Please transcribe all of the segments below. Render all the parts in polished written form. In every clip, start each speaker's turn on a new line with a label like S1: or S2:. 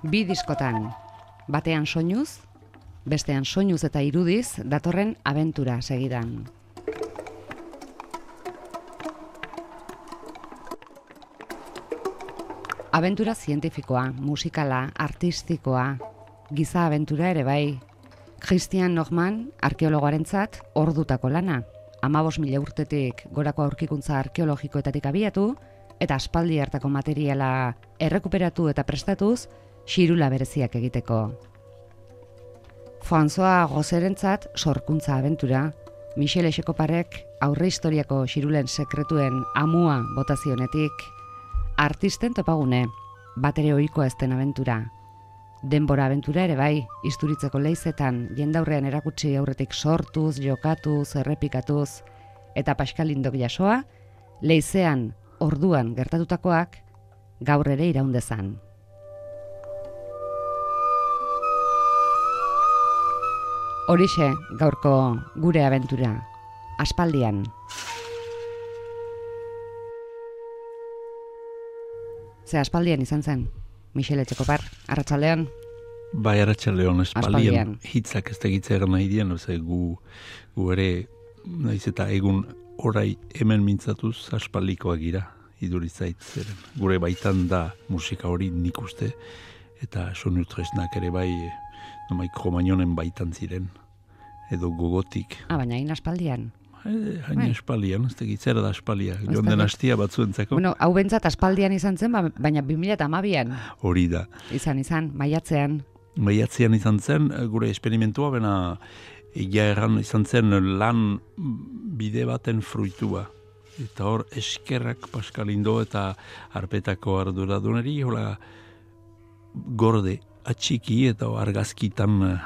S1: Bi diskotan, batean soinuz, bestean soinuz eta irudiz, datorren abentura segidan. Abentura zientifikoa, musikala, artistikoa, giza abentura ere bai. Christian Norman, arkeologoarentzat, ordutako lana. 15.000 urtetik gorako aurkikuntza arkeologikoetatik abiatu, eta aspaldi hartako materiala errekuperatu eta prestatuz, xirula bereziak egiteko. François Gosserentzat sorkuntza abentura, Michel Echecoparek aurre historiako xirulen sekretuen amua botazionetik, artisten topagune, batere ohikoa ez den abentura. Denbora abentura ere bai, isturitzeko leizetan jendaurrean erakutsi aurretik sortuz, jokatuz, errepikatuz, eta Pascalindok jasoa, leizean orduan gertatutakoak gaur ere iraundezan. Horixe gaurko gure abentura, aspaldian. Ze aspaldian izan zen, Michel Etxekopar, arratsaldean?
S2: Bai, arratsaldean, aspaldian. Hitzak ez tegitzea nahi dien, gu ere, naiz eta egun orai hemen mintzatuz aspaldikoak gira, idurizait zeren. Gure baitan da musika hori nik uste, eta sonu tresnak ere bai, Kromañonen baitan ziren, edo gogotik.
S1: Baina hain aspaldian?
S2: Hain aspaldian, ez tegitzera da aspalia, joan den hastia batzuentzako.
S1: Bueno, hau bentsat aspaldian izan zen, baina 2012an.
S2: Hori da.
S1: Izan, maiatzean.
S2: Maiatzean izan zen, gure esperimentua, bena egia erran izan zen lan bide baten fruitua. Eta hor, eskerrak Pascalindo eta arpetako arduraduneri, hola gorde, atxiki eta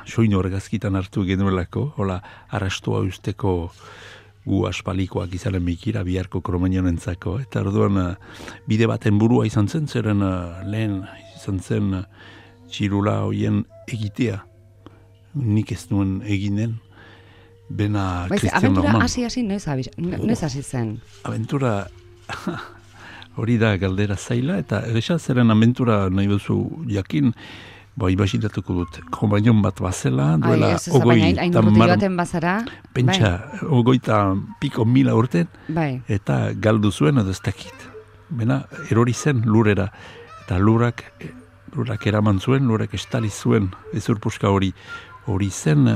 S2: soinu argazkitan hartu genuelako, hola arrastoa usteko gu aspalikoak izaren mikira biharko Kromañonentzako. Eta orduan bide baten burua izan zen, zeren lehen izan zen txirula hoien egitea. Nik ez nuen eginen, bena Christian Norman.
S1: Abentura noiz hasi zen?
S2: Abentura hori da galdera zaila, eta eresa zeren abentura nahi bezu jakin, imaginatuko dut, Kromañon bat bazela, duela pentsa, 30.000 urten, eta galdu zuen edo ez dakit. Bena, erori zen lurera, eta lurak eraman zuen, lurak estali zuen, ezurpuska hori zen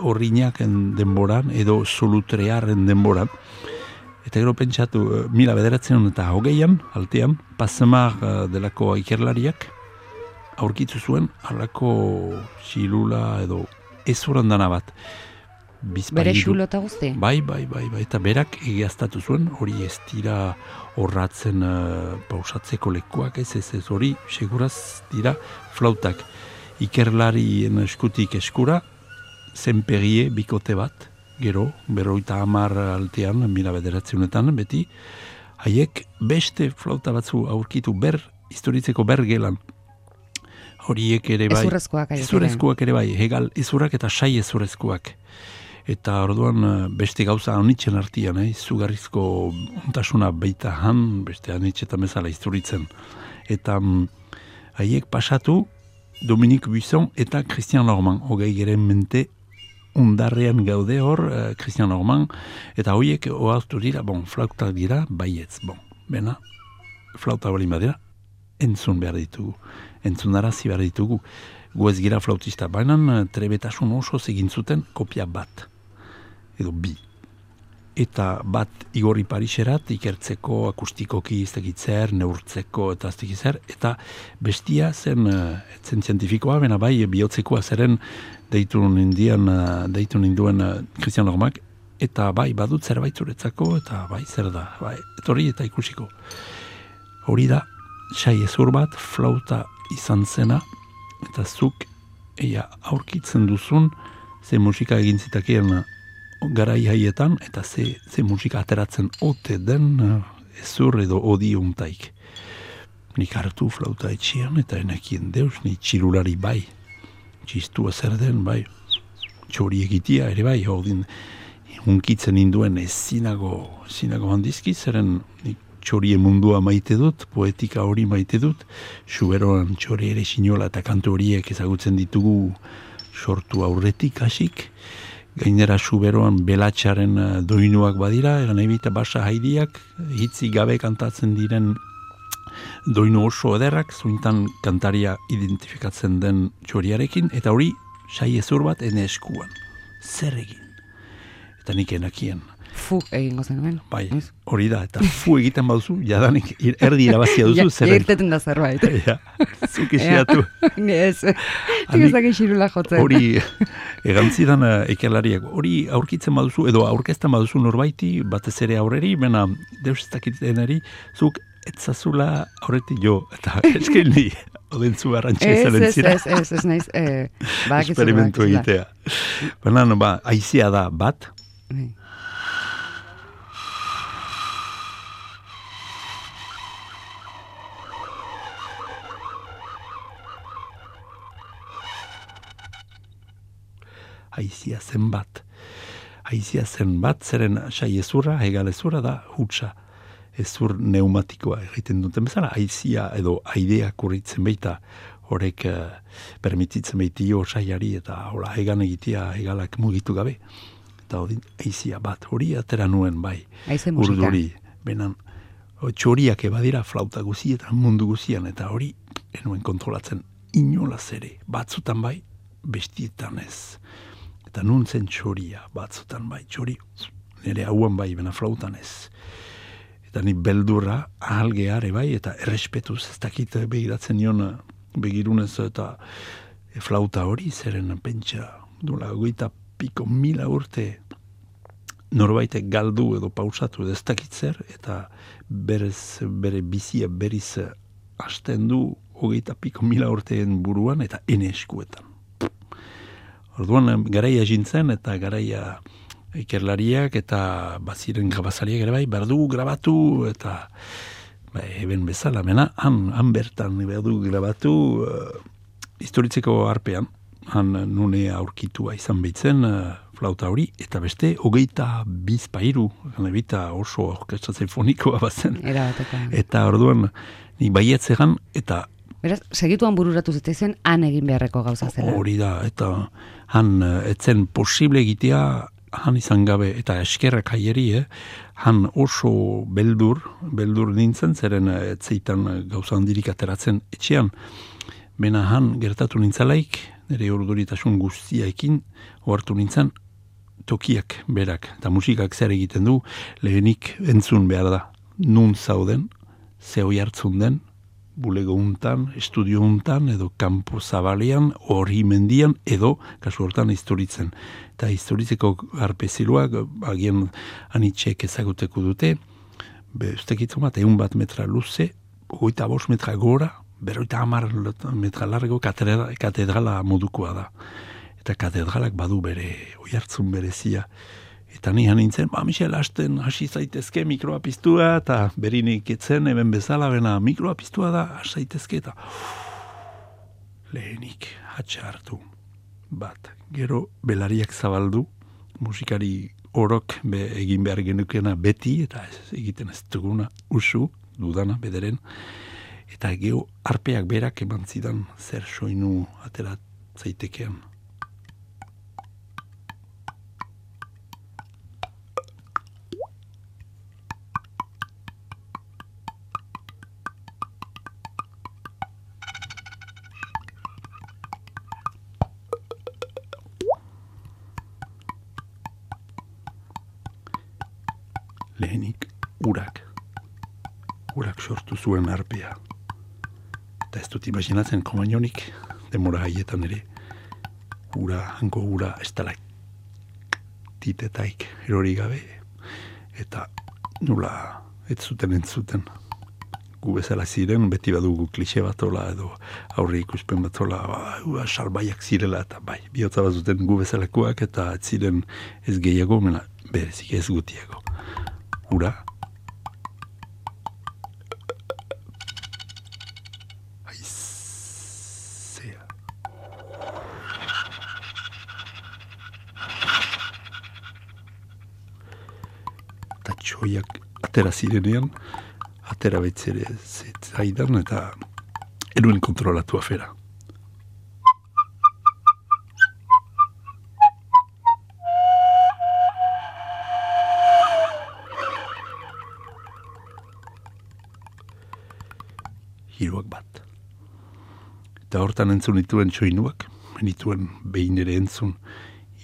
S2: horriñaken denboran, edo solutrearen denboran. Eta gero pentsatu, 1920 altean, Passemar delako ikerlariak, aurkitu zuen, halako xilula edo ezurandana bat.
S1: Bere xulota guzti?
S2: Bai, eta berak egiaztatu zuen, hori ez dira horratzen pausatzeko lekuak, ez hori, seguraz dira flautak. Ikerlarien eskutik eskura, zenpegie bikote bat, gero, 50 altean, 1900etan, beti, haiek beste flauta batzu aurkitu historitzeko gelan. Horiek ere bai, ezurrezkoak ere bai, hegal ezurrak eta sai ezurrezkoak. Eta orduan beste gauza anitzen artian, izugarrizko ontasuna baita beste anitzetan bezala isturitzen. Eta haiek pasatu Dominique Buisson eta Christian Norman, hogei geren mente undarrean gaude hor, Christian Norman, eta horiek oaztu dira, flautak dira, baietz, bena, flauta bali badira, entzunarazi behar ditugu. Gu ez gira flautista, baina trebetasun oso egin zuten kopia bat, edo bi. Eta bat Igorri Pariserat ikertzeko akustikoki iztegitzer, neurtzeko eta iztegitzer, eta bestia zen zientifikoa, bena bai bihotzekoa zeren deitu ninduen Christian Normak, eta bai badut zerbait zuretzako, eta bai zer da, etorri eta ikusiko. Hori da, sai ezur bat, flauta izan zena, eta zuk aurkitzen duzun, ze musika egin zitakeen garai haietan, eta ze musika ateratzen ote den ezur edo odi untaik. Nik hartu flauta etxian, eta enekien deus, ni txirulari bai, txistua zer den, bai, txori egitia ere bai, hunkitzen induen zinago handizki, zeren nik txorien mundua maite dut, poetika hori maite dut, Suberoan txori ere sinola eta kantu horiek ezagutzen ditugu sortu aurretik hasik, gainera Suberoan belatxaren doinuak badira, egan ebita basa haidiak, hitzik gabe kantatzen diren doinu oso ederrak, zuintan kantaria identifikatzen den txoriarekin, eta hori sai ezur bat ene eskuan. Zer egin? Eta nik enakien.
S1: Fu egingo zenuen.
S2: Bai, hori da, eta fu egiten baduzu, jadanik erdi irabazia duzu, zer egin.
S1: Irteten da zerbait.
S2: Ja, zuk esiatu.
S1: Ez, tigezak esirula jotzen.
S2: Hori, egantzidan ekelariak, hori aurkitzen baduzu, edo aurkezten baduzu norbaiti, batez ere aurreri, bena deus ez dakiteneri, zuk etzazula aurretik jo, eta esken ni, odentzu garrantxe zelentzira.
S1: Ez naiz,
S2: esperimentu egitea. Baina, aizia da bat, haizia zen bat, zeren sai ezurra, hegal ezurra da hutsa, ezur neumatikoa egiten duten bezala, haizia edo aidea kurritzen baita, horrek permititzen baitio saiari eta hola hegan egitea hegalak mugitu gabe. Eta haizia bat, hori atera nuen bai, urduri, benan, txoriak ebadira flauta guzietan, mundu guzian, eta hori enuen kontrolatzen inolaz ere, batzutan bai, bestietan ez. Eta nuntzen txoria, batzutan bai, txori, nire hauan bai, bena flautan ez. Eta ni beldurra, ahalgeare bai, eta errespetuz, ez dakit begiratzen nion, begirunez eta flauta hori, zeren pentsa, dula, 20.000 urte, norbaitek galdu edo pausatu edo ez dakit zer, eta bere bizia beriz hasten du 20.000 urteen buruan, eta ene eskuetan. Orduan, garaia jintzen eta garaia ikerlariak eta baziren grabazariak ere bai, berdu grabatu eta eben bezala, mena, han bertan berdu grabatu historitzeko arpean, han nune aurkitua izan behitzen flauta hori, eta beste 22 pairu, ganebita oso orkestra sinfonikoa bazen. Eta orduan, nik baietzegan, eta
S1: beraz, segituan bururatu zitezen, han egin beharreko gauza zela.
S2: Hori da, eta han etzen posible egitea, han izan gabe, eta eskerrak haieri, han oso beldur nintzen, zeren etzeitan gauza handirik ateratzen etxean. Bena han gertatu nintzalaik, nire orduritasun guztiaekin, ohartu nintzen, tokiak berak, eta musikak zer egiten du, lehenik entzun behar da. Nun zauden, zehoi hartzun den, bulego untan, estudio untan, edo kanpo zabalean, hori mendian, edo, kasu hortan, historitzen. Eta historitzeko arpeziluak, agian anitxek ezaguteko dute, ustekitzu bat, 100 metra luze, 25 metra gora, 50 metra largo katedrala modukoa da. Eta katedralak badu bere, oihartzun berezia. Eta ni nintzen, Michel, hasten hasi zaitezke mikroa piztua, eta berinik etzen, hemen bezala, bena mikroa piztua da, hasi zaitezke, eta lehenik hatxa hartu bat. Gero belariak zabaldu, musikari orok egin behar genukena beti, eta egiten ez duguna usu, dudana, bederen, eta gero arpeak berak eman zidan zer soinu atera zaitekean. Lehenik urak sortu zuen arpea. Eta ez dut imaginatzen komainonik demora haietan ere hanko ura estalaktitetaik erori gabe eta nula ez zuten entzuten. Gu bezala ziren, beti badugu klixe bat ola edo aurre ikuspen bat ola salbaiak zirela eta bai, bihotza bat zuten gu bezalakoak eta ez ziren ez gehiago, mena berezik ez gutiago. Ura. Haizea. Eta txoiak atera zirenean, atera betzere zaidan eta eruen kontrolatu afera. Hiruak bat. Eta hortan entzun dituen txoinuak, nituen behin ere entzun,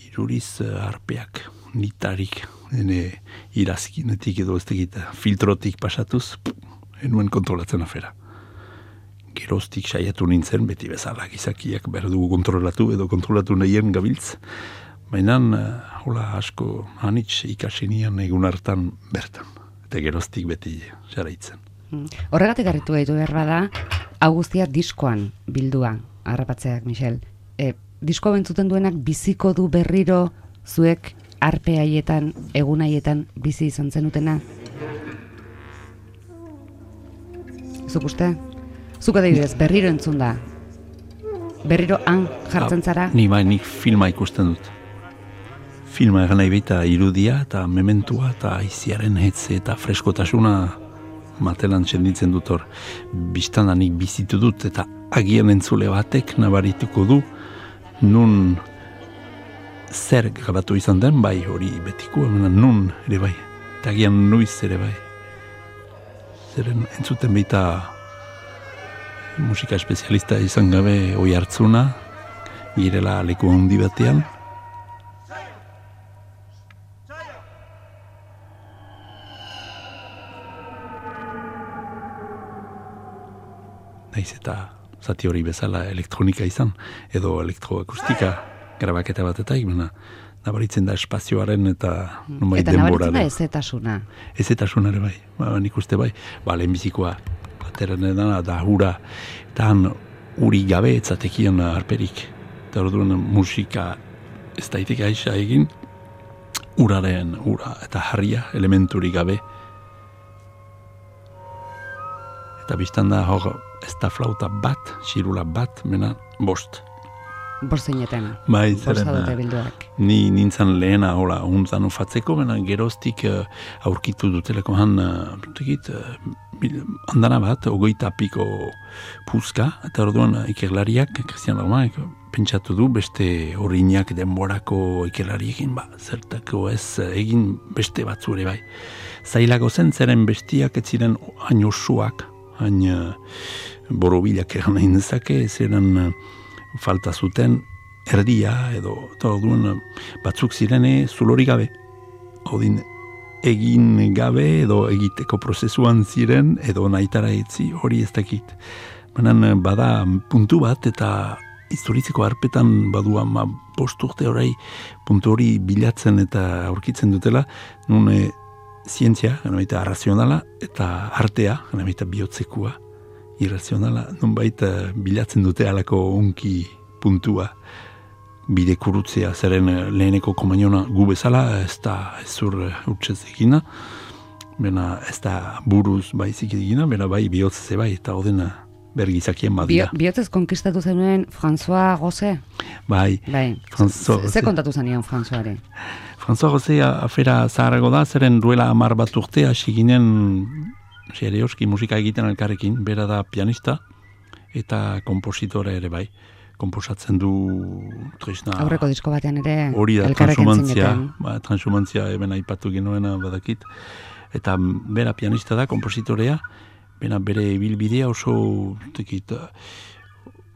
S2: iruriz arpeak, nitarik, ene irazkinetik edo ez tegita, filtrotik pasatuz, enuen kontrolatzen afera. Geroztik saiatu nintzen, beti bezala gizakiak behar dugu kontrolatu edo kontrolatu nahien gabiltz, baina hola asko hanitz ikasenian egun hartan bertan, eta geroztik beti jarraitzen.
S1: Horregatik garritu gaitu behar bada, hau guztia diskoan bildua, harrapatzeak, Michel. Diskoa bentzuten duenak biziko du berriro zuek arpe haietan, egun haietan bizi izan zenutena? Zuk uste? Zuk adibidez, berriro entzun da. Berriro han jartzen zara?
S2: Nik filma ikusten dut. Filma egan nahi baita irudia eta mementua eta aiziaren hetze eta freskotasuna matelan txenditzen dut hor. Biztana nik bizitu dut eta agian entzule batek nabarituko du nun zer grabatu izan den, bai hori betiko, nun ere bai, eta agian nuiz ere bai. Zeren entzuten baita musika espezialista izan gabe oi hartzuna, girela leku handi batean. Naiz eta zati hori bezala elektronika izan, edo elektroakustika grabaketa batetak, nabaritzen da espazioaren eta denboraren.
S1: Eta nabaritzen da ezetasuna.
S2: Ezetasuna ere bai, nik uste bai. Lehenbizikoa, ateren edana da hura, eta han uri gabe etzatekian arperik. Eta orduan musika ez daitek aixa egin, ura eta harria elementuri gabe. Eta biztan da hor, ez da flauta bat, xirula bat, bost.
S1: Bost zineten,
S2: bai,
S1: bostadote bilduak.
S2: Ni nintzen lehena, hola, untzan ufatzeko, geroztik aurkitu duteleko han, handana bat, 20 piko puzka, eta orduan ikerlariak, Christian Romanek, pentsatu du beste horinak denborako ikerlariekin, zertako ez egin beste batzu ere bai. Zailago zen zeren bestiak ez ziren hain osuak, hain borobilak egan nahi nezake, ziren falta zuten erdia edo orduan batzuk zirene zulori gabe. Odin egin gabe edo egiteko prozesuan ziren edo nahitara etzi hori ez dakit. Baina bada puntu bat eta historitzeko harpetan badua bost urte orai puntu hori bilatzen eta aurkitzen dutela, nun zientzia, gana arrazionala, eta artea, gana bihotzekua, irrazionala, nonbait bilatzen dute alako onki puntua bide kurutzea, zeren leheneko komainona gu bezala, ez da ezur urtsez egina, bena ez da buruz baizik egina, bena bai bihotzeze bai, eta odena bergizakien badia.
S1: Bihotzez konkistatu zenuen François Gosset?
S2: Bai.
S1: Ze kontatu zenion Françoisare?
S2: François Gosset afera zaharago da, zeren duela 10 bat urte hasi ginen serioski musika egiten elkarrekin, bera da pianista eta kompositore ere bai. Komposatzen du tresna...
S1: Aurreko disko batean ere
S2: hori da,
S1: elkarrekin zineten.
S2: Transhumantzia eben aipatu genuena badakit. Eta bera pianista da, kompositorea, bere ibilbidea oso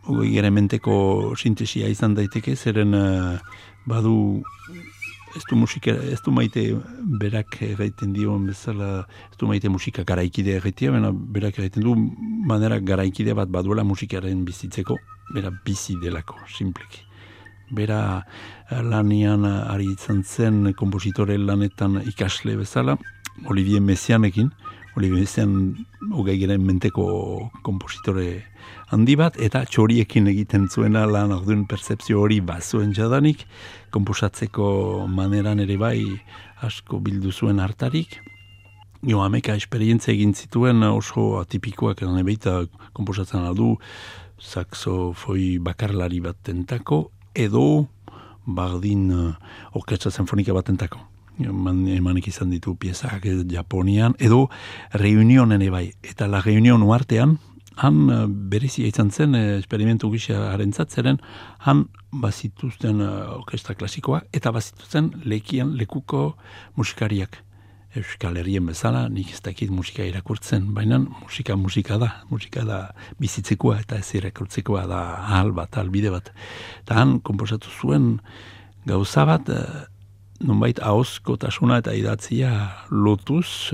S2: gerementeko sintesia izan daiteke, zeren badu ez du maite berak egiten dion bezala, ez du maite musika garaikide egitea, berak egiten du manera garaikide bat baduela musikaren bizitzeko, bera bizi delako, simpleki. Bera lanian ari izan zen kompositore lanetan ikasle bezala, Olivier Messianekin, Olivier Messian hogei geren menteko kompositore handi bat, eta txoriekin egiten zuena lan orduen percepzio hori bazuen jadanik, komposatzeko maneran ere bai asko bildu zuen hartarik. Ameka esperientzia egin zituen oso atipikoak edan ebeita komposatzen aldu, saxofoi bakarlari bat tentako, edo bardin orkestra sinfonika bat tentako. emanik izan ditu piezak Japonian, edo Reunionen bai. Eta la Reunion uartean, han berezia izan zen, esperimentu gisa harentzat han bazituzten orkestra klasikoa, eta bazituzten lekuko musikariak. Euskal Herrien bezala, nik ez dakit musika irakurtzen, baina musika da bizitzekoa eta ez irakurtzekoa da ahal bide bat. Eta han konposatu zuen gauza bat, nonbait ahozkotasuna eta idatzia lotuz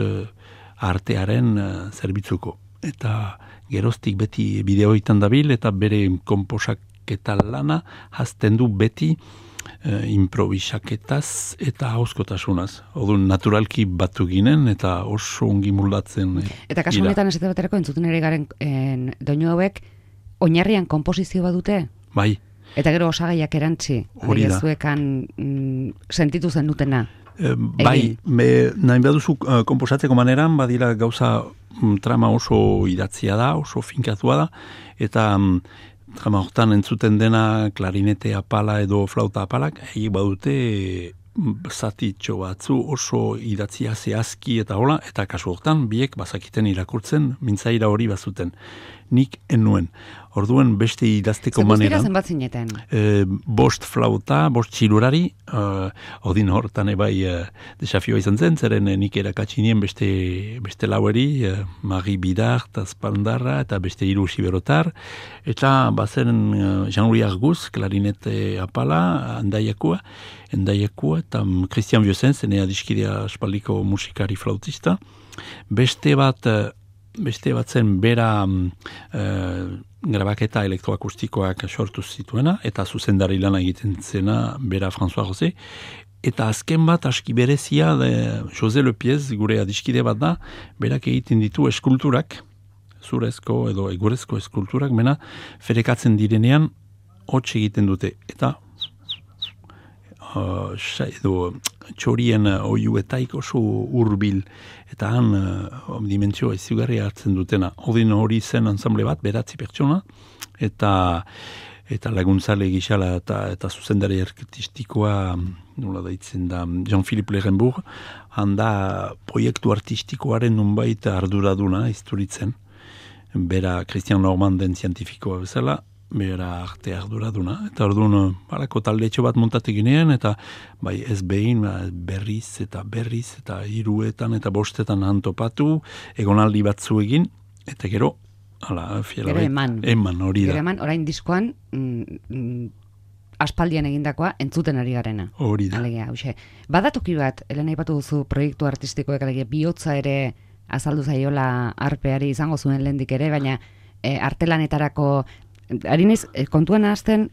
S2: artearen zerbitzuko. Eta geroztik beti bideoetan dabil eta bere konposaketa lana hazten du beti improvisaketaz eta ahozkotasunaz. Odun naturalki batu ginen eta oso ongi moldatzen.
S1: Eta kasu honetan esate baterako entzuten ere garen doinu hauek oinarrian konposizio badute?
S2: Bai.
S1: Eta gero osagaiak erantzi,
S2: hori da.
S1: Zuekan sentitu zen dutena.
S2: Bai, nahi baduzu konposatzeko maneran, badira gauza trama oso idatzia da, oso finkatua da, eta trama hortan entzuten dena klarinete apala edo flauta apalak, egin badute zatitxo batzu oso idatzia zehazki eta hola, eta kasu hortan biek bazakiten irakurtzen, mintzaira hori bazuten. Nik enuen. Orduan beste idazteko maneran.
S1: Zer zenbat zineten?
S2: 5 flauta, 5 txilurari, odin hortan desafioa izan zen, zeren nik erakatsinien beste laueri, Mari Bidar, Tazpandarra, eta beste 3 siberotar, eta bazen Jean-Louis Argus, klarinete apala, endaiakua, eta Christian Vieuxen, zene adiskidea espaldiko musikari flautista, beste bat zen bera grabaketa elektroakustikoak sortu zituena, eta zuzendari lana egiten zena bera François José, eta azken bat aski berezia José Lepiez, gure adiskide bat da, berak egiten ditu eskulturak, zurezko edo egurezko eskulturak, mena ferekatzen direnean hots egiten dute, eta edo txorien oiuetaik oso hurbil eta han dimentsioa izugarria hartzen dutena. Odin hori zen ensemble bat, 9 pertsona, eta laguntzale gixala eta zuzendari artistikoa, nola daitzen da, Jean-Philippe Lerenbourg, handa proiektu artistikoaren nunbait arduraduna izturitzen, bera Christian Normanden zientifikoa bezala, bera arte arduraduna. Eta orduan, balako taldetxo bat montatik ginean, eta bai ez behin, berriz eta 3etan eta 5etan antopatu, egonaldi batzu egin, eta gero, eman hori da.
S1: Gero eman, orain diskoan, aspaldian egindakoa entzuten ari garena.
S2: Hori da.
S1: Alegia, badatoki bat, Elena ipatu duzu proiektu artistikoek, alegia, bihotza ere azaldu zaiola arpeari izango zuen lehendik ere, baina artelanetarako ari naiz, kontuan hasten,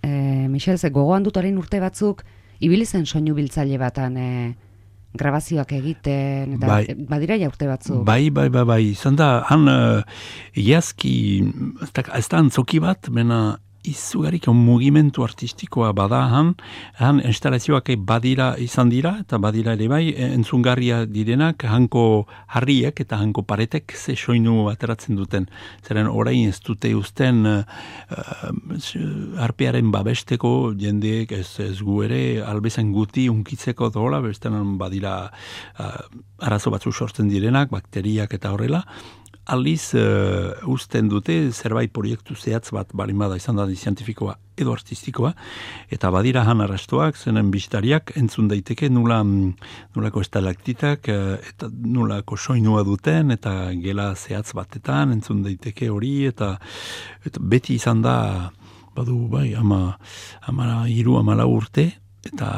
S1: Michel, gogoan dut orain urte batzuk, ibili zen soinu biltzaile batan grabazioak egiten, eta badira ja urte batzuk. Bai,
S2: izan da, han iazki, ez da antzoki bat, mena izugarik mugimendu artistikoa bada han instalazioak badira izan dira, eta badira ere bai, entzungarria direnak, hanko harriek eta hanko paretek ze soinu ateratzen duten. Zeren orain ez dute uzten arpearen babesteko jendeek ez gu ere albezen guti unkitzeko dola, bestenan badira arazo batzu sortzen direnak, bakteriak eta horrela, aldiz uzten dute zerbait proiektu zehatz bat balin bada izan da zientifikoa edo artistikoa, eta badira han arrastoak, zenen bisitariak entzun daiteke nolako estalaktitak eta nolako soinua duten, eta gela zehatz batetan entzun daiteke hori, eta beti izan da, badu bai, 13 urte, eta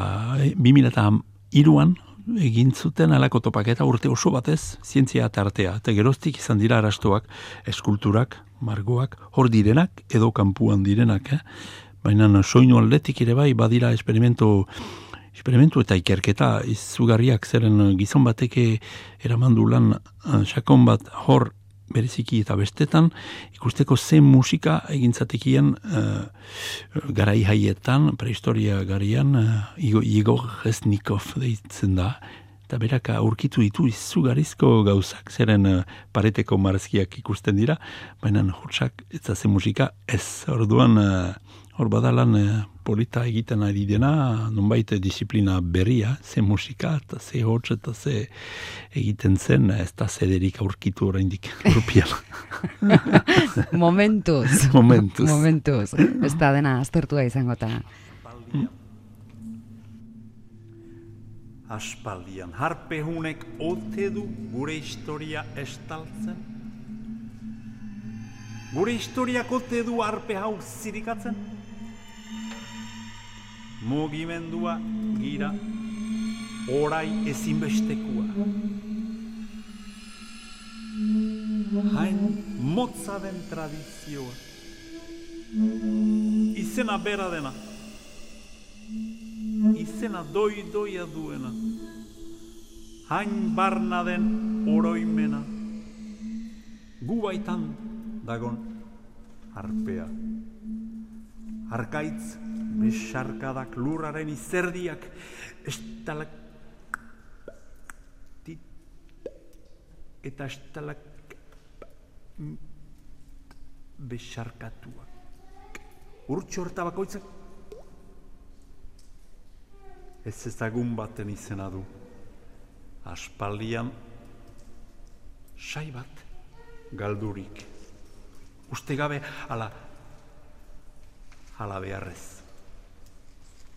S2: 2003an egin zuten alako topaketa urte oso batez zientzia eta artea. Eta geroztik izan dira arastoak, eskulturak, margoak, hor direnak edo kanpuan direnak. Baina soinu aldetik ere bai badira esperimentu eta ikerketa izugarriak, zeren gizon bateke eramandu lan sakon bat hor bereziki eta bestetan, ikusteko zen musika egintzatekien garai haietan, prehistoria garian, Igor Resnikov deitzen da, eta berak aurkitu ditu izugarizko gauzak, zeren pareteko marrazkiak ikusten dira, baina hotsak ez zen musika ez. Orduan hor badalan polita egiten ari dena, nonbait disiplina berria, ze musika eta ze hotz eta ze egiten zen, ez da zederik aurkitu oraindik urpian.
S1: Momentuz.
S2: Momentuz.
S1: Ez da dena aztertua izango eta.
S3: Aspaldian harpehunek ote du gure historia estaltzen? Gure historiak ote du harpe hau zirikatzen? Mugimendua gira, orai ezinbestekua. Hain motza den tradizioa, izena bera dena, izena doi-doia duena, hain barna den oroimena, gu baitan dagon harpea. Arkaitz besarkadak lurraren izerdiak estalak eta estalak besarkatuak. Urtxo horta bakoitzak ez ezagun baten izena du. Aspaldian sai bat galdurik. Uste gabe ala beharrez.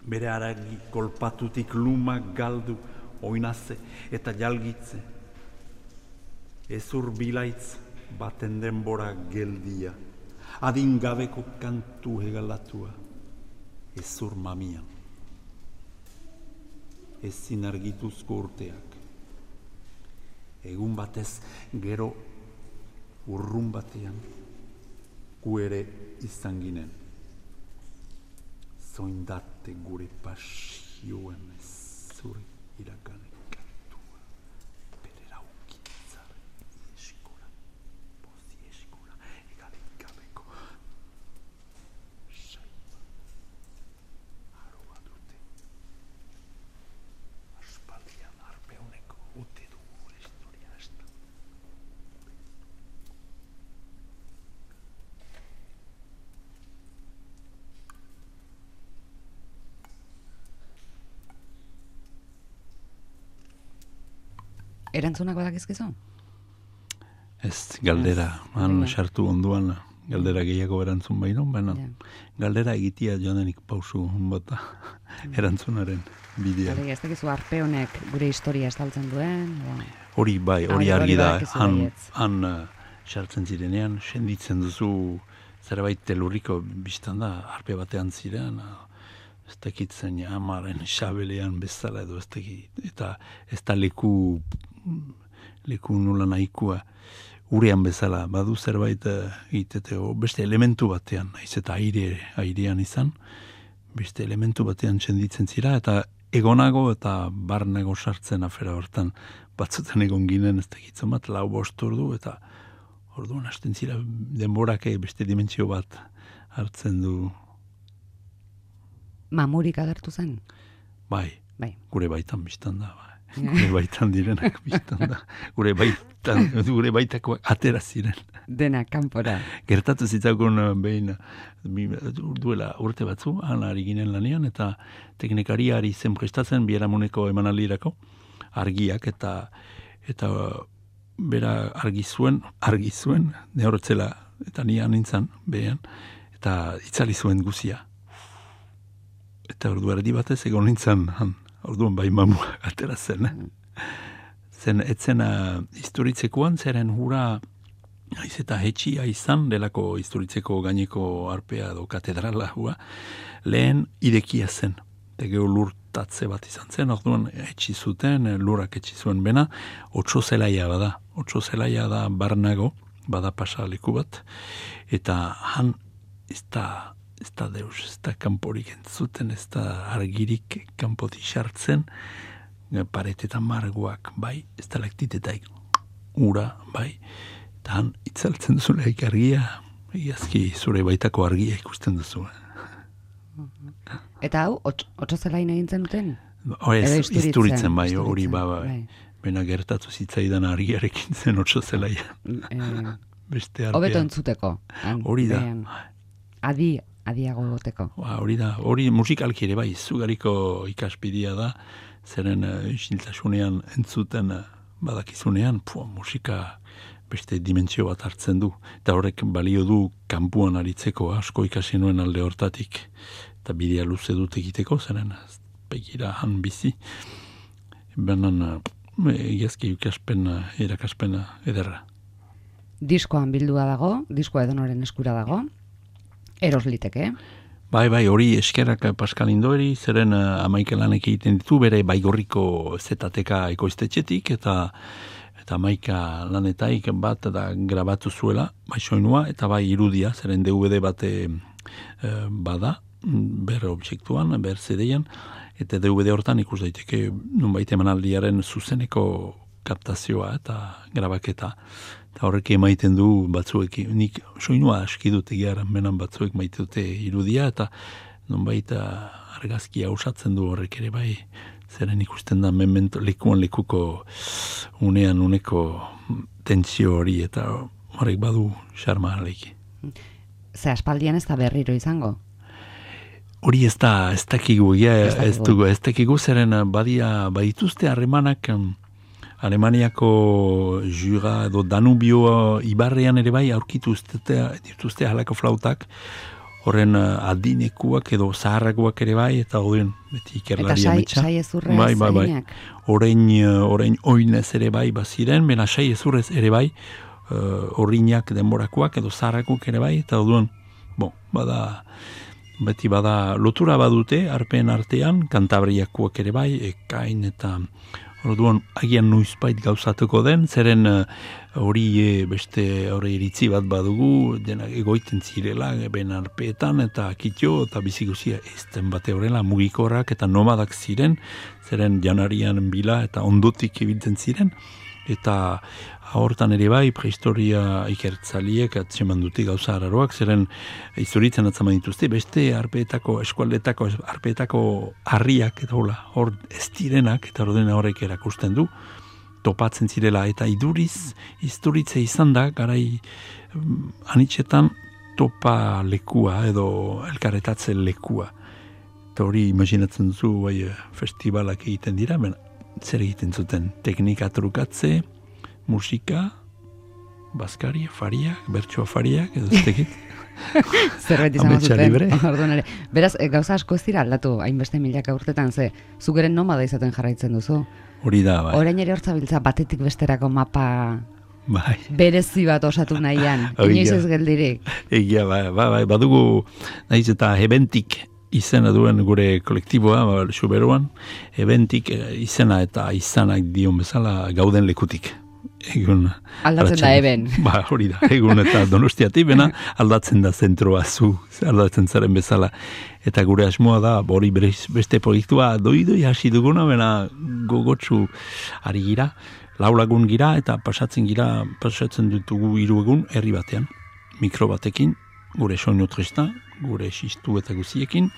S3: Bere haragi kolpatutik lumak galdu, oinaze eta jalgitze. Ezur bilaitz baten denbora geldia, adingabeko kantu hegalatua, ezur mamian. Ezin argituzko urteak. Egun batez gero urrun batean, gu ere izan ginen. Zoindate gure pasioen zure iraganek kantua. Bere raukintzar ieskola, bozi eskola, egalik gabeko saiba. Aroa dute. Aspaldian harpe honeko ote du gure historia esta.
S1: Erantzunak badakizkizu?
S2: Ez, galdera, han sartu onduan, galdera gehiago erantzun baino, baina galdera egitea joanenik pausu bota erantzunaren bidea.
S1: Ez dakizu harpe honek gure historia estaltzen duen?
S2: Hori bai, hori argi da, han sartzen zirenean, senditzen duzu zerbait telurriko biztan da, harpe batean ziren, ez dakitzen amaren xabelean bezala edo ez dakit, eta ez da leku nula nahikoa urean bezala, badu zerbait egitete, beste elementu batean, naiz eta airean izan, beste elementu batean txenditzen zira, eta egonago eta barnago sartzen afera hortan, batzutan egon ginen, ez dakitzen bat, 4-5 ordu, eta orduan hasten zira denborak beste dimentsio bat hartzen du.
S1: Mamurik agertu zen?
S2: Bai. Gure baitan biztan da, bai. Gure baitan direnak biztan da. Gure baitakoak atera ziren.
S1: Dena, kanpora.
S2: Gertatu zitzakun behin, duela urte batzu, han ari ginen lanian, eta teknikariari zen prestatzen biharamuneko emanaldirako, argiak, eta bera argi zuen, ne horretzela, eta nian nintzen, behan, eta itzali zuen guzia. Eta ordu erdi batez egon nintzen, orduan bai mamua atera zen. Etzena historitzekoan, zeren hura, haiz eta hetxia izan, delako historitzeko gaineko arpea edo katedrala hua, lehen irekia zen. Tegeo lurtatze bat izan zen, orduan etxi zuten, lurak etxi zuen bena, 8 zelaia bada. 8 zelaia da barnago, bada pasaleku bat, eta han ez da deus, ez da kanporik entzuten, ez da argirik kanpoti sartzen, paretetan margoak, bai, ez da laktitetaik, ura, bai, eta han itzaltzen zuleik argia, iazki zure baitako argia ikusten duzu.
S1: Eta hau, 8 zelain egintzen duten?
S2: Ez, isturitzen, bai, hori, bai. Bena gertatu zitzaidan argiarekin zen 8 zelaia.
S1: Hobeto entzuteko.
S2: Hori da.
S1: adiago goteko.
S2: Hori musikalki ere bai, zugariko ikaspidia da, zeren isiltasunean entzuten badakizunean, musika beste dimentsio bat hartzen du. Eta horrek balio du kanpuan aritzeko asko ikasi nuen alde hortatik. Eta bidea luze dut egiteko, zeren begira han bizi. Benan egiazki erakaspen ederra.
S1: Diskoan bildua dago, diskoa edonoren eskura dago, eros liteke.
S2: Bai, hori eskerrak Pascal Indoeri, zeren amaikelanek egiten ditu, bere baigorriko ZTK ekoiztetxetik, eta amaika lanetaik bat da grabatu zuela, bai soinua, eta bai irudia, zeren DVD bate bada, ber objektuan, ber CD-an, eta DVD hortan ikus daiteke nunbait emanaldiaren zuzeneko kaptazioa eta grabaketa. Eta horrek emaiten du batzuek, nik soinua aski dut egiaran menan batzuek maite dute irudia, eta nunbait argazkia usatzen du horrek ere bai, zeren ikusten da memento lekuko unean uneko tentsio hori, eta horrek badu xarma aleiki.
S1: Ze aspaldian ez da berriro izango?
S2: Hori ez dakigu, ez dakigu zeren badituzte harremanak Alemaniako Jura edo Danubio ibarrean ere bai aurkitu dituzte halako flautak, horren adinekuak edo zaharrakoak ere bai, eta horren beti ikerlaria metxa.
S1: Eta sai ezurrez eginak?
S2: Orain oinez ere bai baziren, bena sai ezurrez ere bai, horriñak denborakoak edo zaharrakoak ere bai, eta horren, beti bada lotura badute, arpen artean, Kantabriakoak ere bai, Ekain eta orduan agian noizbait gauzatuko den, zeren hori beste hori iritzi bat badugu, denak egoiten zirela, ben arpeetan eta kitio eta biziguzia ezten bate horrela mugikorrak eta nomadak ziren, zeren janarian bila eta ondotik ibiltzen ziren, eta hortan ere bai prehistoria ikertzaliek atzeman dute gauza araroak, zeren izuritzen atzaman dituzte, beste eskualdetako arpeetako harriak eta hor ez direnak, eta ordena horrek erakusten du, topatzen zirela, eta isturitze izan da, garai anitxetan topa lekua edo elkarretatzen lekua. Eta hori imaginatzen duzu festivalak egiten dira, zer egiten zuten, teknika trukatze, musika, bazkari, fariak, bertsoa fariak, edo ez tekit.
S1: Zerbait izan zuten. Beraz, gauza asko ez dira aldatu, hainbeste milaka urtetan, zukeren nomada izaten jarraitzen duzu.
S2: Hori da, bai.
S1: Orain ere hortzabiltza batetik besterako mapa berezi bat osatu nahian, inoiz ez geldirik.
S2: Egia, bai, badugu, nahiz eta ebentik izena duen gure kolektiboa, Xuberuan, ebentik izena eta izanak dion bezala gauden lekutik.
S1: Aldatzen da eben.
S2: Hori da, egun eta Donostiatik, bena aldatzen da zentroa aldatzen zaren bezala. Eta gure asmoa da, hori beste proiektua doi hasi duguna, bena gogotsu ari gira, 4 lagun gira, eta pasatzen ditugu 3 egun herri batean, mikro batekin, gure soinu tresna, gure xistu eta guziekin,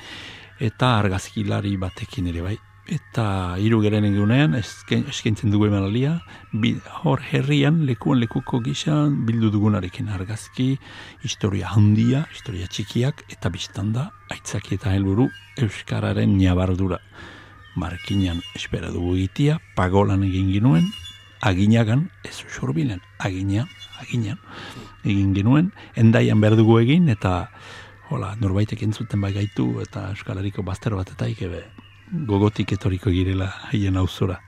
S2: eta argazkilari batekin ere bai. Eta 3 geren egunean, eskaintzen dugu emanalia, hor herrian, lekuko gisa bildu dugunarekin argazki, historia handia, historia txikiak, eta biztanda, aitzaki eta helburu Euskararen ñabardura. Markinan espera dugu egitea, pagolan egin ginuen, aginagan, ez usurbilen, aginan, egin genuen, endaian behar dugu egin, eta norbaitek entzuten bai gaitu, eta Euskal Herriko bazter bat eta ikebe gogotik etoriko girela haien auzora.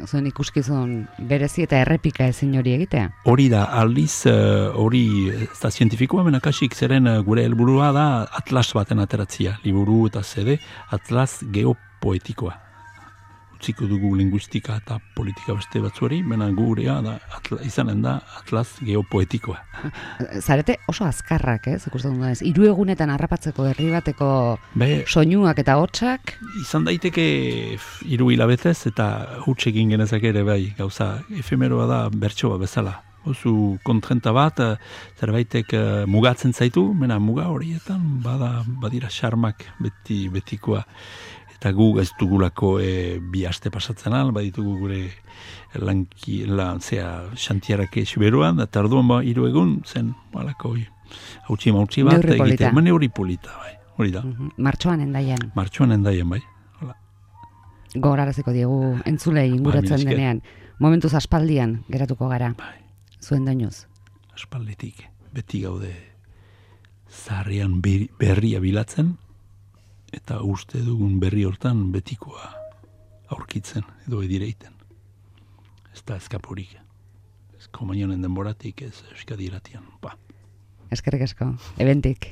S1: Zuen ikuskizun berezi eta errepika ezin hori egitea? Hori
S2: da, aldiz, hori ez da zientifikoa, menakasik zeren gure helburua da atlas baten ateratzia, liburu eta CD, atlas geopoetikoa. Utziko dugu linguistika eta politika beste batzuari, mena gurea da, izanen da atlas geopoetikoa.
S1: Zarete oso azkarrak, ikusten dut, 3 egunetan harrapatzeko herri bateko soinuak eta hotsak? Izan
S2: daiteke 3 hilabetez eta huts egin genezak ere bai, gauza efemeroa da bertsoa bezala. Oso kontrenta bat, zerbaitek mugatzen zaitu, mena muga horietan badira xarmak betikoa. Eta gu ez dugulako 2 aste pasatzen al, baditugu gure xantiarake Xuberuan, eta orduan 3 egun zen, hautsi bat, egiten, hori polita, bai. hori da.
S1: Martxoan Hendaian.
S2: Martxoan Hendaian, bai. Hola.
S1: Gogoraraziko diegu entzulei inguratzen
S2: mila esker.
S1: denean. Momentuz aspaldian geratuko gara.
S2: Bai.
S1: Zuen doinuz.
S2: Aspalditik, beti gaude zaharrean berria bilatzen, eta uste dugun berri hortan betikoa aurkitzen edo edireiten. Ez da eskapurik. Ez komunionen denboratik, ez Euskadi irratian.
S1: Eskerrik asko, ebentik.